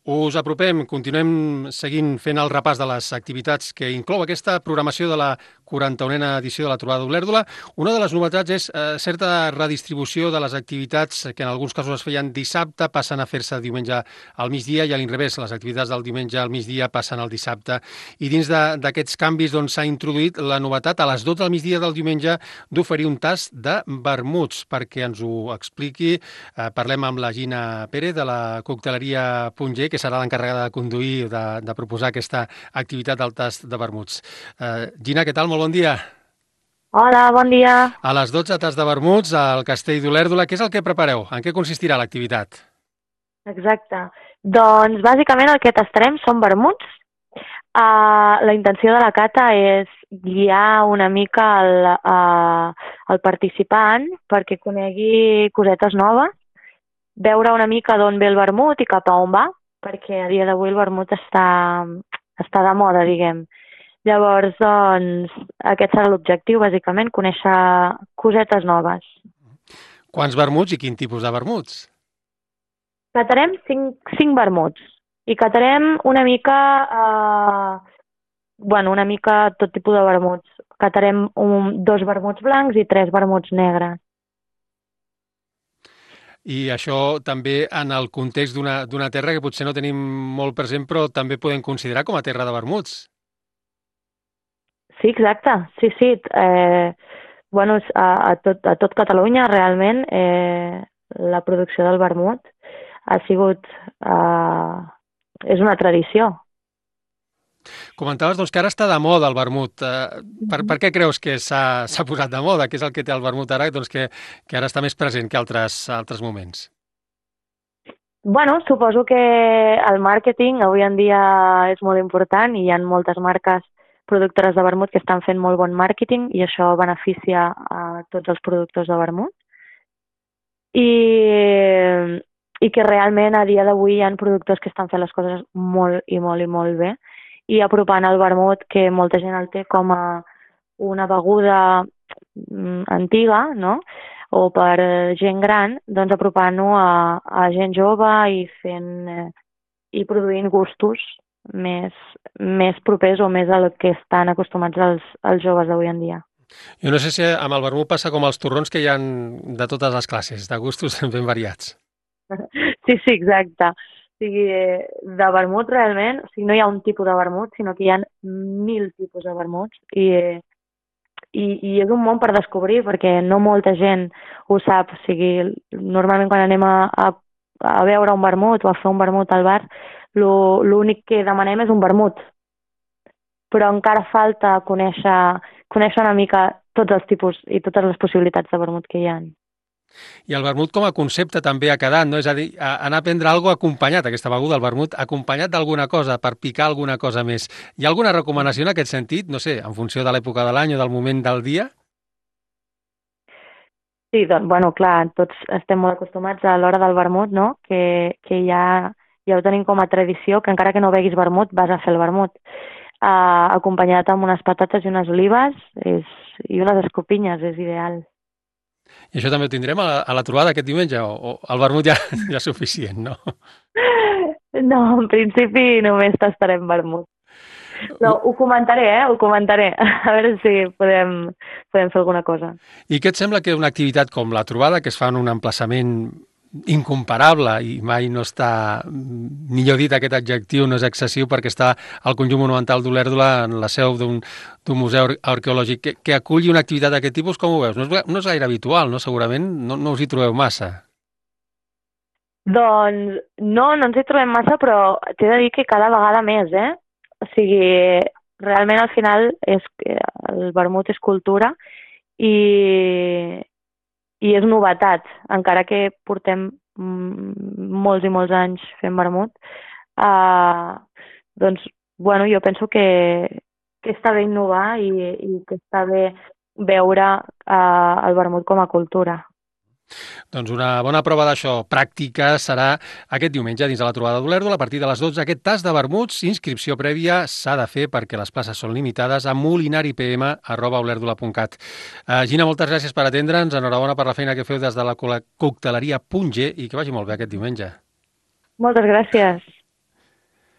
Us apropem, continuem seguint fent el repàs de les activitats que inclou aquesta programació de la 41a edició de la Trobada d'Olèrdola. Una de les novetats és certa redistribució de les activitats que en alguns casos es feien dissabte, passen a fer-se diumenge al migdia i a l'inrevés, les activitats del diumenge al migdia passen al dissabte. I dins d'aquests canvis s'ha introduït la novetat a les 12 del migdia del diumenge d'oferir un tast de vermuts. Perquè ens ho expliqui, parlem amb la Gina Pérez de la cocteleria Punger, que serà l'encarregada de conduir, de proposar aquesta activitat del tast de vermuts. Gina, què tal? Molt bon dia. Hola, bon dia. A les 12, tast de vermuts al Castell d'Olèrdola. Què és el que prepareu? En què consistirà l'activitat? Exacte. Doncs bàsicament el que tastarem són vermuts. La intenció de la cata és guiar una mica el participant perquè conegui cosetes noves, veure una mica d'on ve el vermut i cap a on va, perquè a dia d'avui el vermut està de moda, diguem. Llavors, doncs, aquest serà l'objectiu, bàsicament, conèixer cosetes noves. Quants vermuts i quin tipus de vermuts? Catarem cinc vermuts i catarem una mica, una mica tot tipus de vermuts. Catarem dos vermuts blancs i tres vermuts negres. I això també en el context d'una terra que potser no tenim molt present, però també podem considerar com a terra de vermuts. Sí, exacte. Sí. A tot Catalunya, realment, la producció del vermut ha sigut... és una tradició. Comentaves doncs, que ara està de moda el vermut. Per què creus que s'ha posat de moda? Què és el que té el vermut ara doncs, que ara està més present que altres moments? Suposo que el màrqueting avui en dia és molt important i hi ha moltes marques productores de vermut que estan fent molt bon màrqueting i això beneficia a tots els productors de vermut. I que realment a dia d'avui hi ha productors que estan fent les coses molt bé i apropant el vermut, que molta gent el té com a una beguda antiga, no?, o per gent gran, doncs apropant-ho a gent jove i produint gustos més propers o més al que estan acostumats els joves d'avui en dia. Jo no sé si amb el vermut passa com els torrons, que hi ha de totes les classes, de gustos ben variats. Sí, exacte. O sigui, de vermut realment, no hi ha un tipus de vermut, sinó que hi ha 1000 tipus de vermuts i és un món per descobrir perquè no molta gent ho sap. O sigui, normalment quan anem a beure un vermut o a fer un vermut al bar, l'únic que demanem és un vermut. Però encara falta conèixer una mica tots els tipus i totes les possibilitats de vermut que hi ha. I el vermut com a concepte també ha quedat, no? És a dir, anar a prendre alguna cosa acompanyat, aquesta beguda, el vermut, acompanyat d'alguna cosa, per picar alguna cosa més. Hi ha alguna recomanació en aquest sentit? No sé, en funció de l'època de l'any o del moment del dia? Sí, doncs, clar, tots estem molt acostumats a l'hora del vermut, no?, que ja ho tenim com a tradició, que encara que no beguis vermut, vas a fer el vermut. Acompanyat amb unes patates i unes olives i unes escopinyes, és ideal. I això també ho tindrem a la trobada aquest diumenge, o el vermut ja és suficient, no? No, en principi només tastarem vermut. No, ho comentaré, ho comentaré. A veure si podem fer alguna cosa. I què et sembla que una activitat com la trobada, que es fa en un emplaçament incomparable i mai no està, millor dit, aquest adjectiu no és excessiu, perquè està al conjunt monumental d'Olèrdola, en la seu d'un museu arqueològic, que aculli una activitat d'aquest tipus, com ho veus? No és gaire habitual, no? Segurament no us hi trobeu massa. Doncs no ens hi trobem massa, però t'he de dir que cada vegada més, O sigui, realment al final el vermut és cultura i és novetat, encara que portem molts i molts anys fent vermut. Jo penso que està bé innovar i que està bé veure el vermut com a cultura. Doncs una bona prova d'això pràctica serà aquest diumenge dins de la trobada d'Olèrdola a partir de les 12. Aquest tast de vermuts, inscripció prèvia s'ha de fer perquè les places són limitades a molinaripm@olèrdola.cat. Gina, moltes gràcies per atendre'ns. Enhorabona per la feina que feu des de la cocteleria Punger i que vagi molt bé aquest diumenge. Moltes gràcies.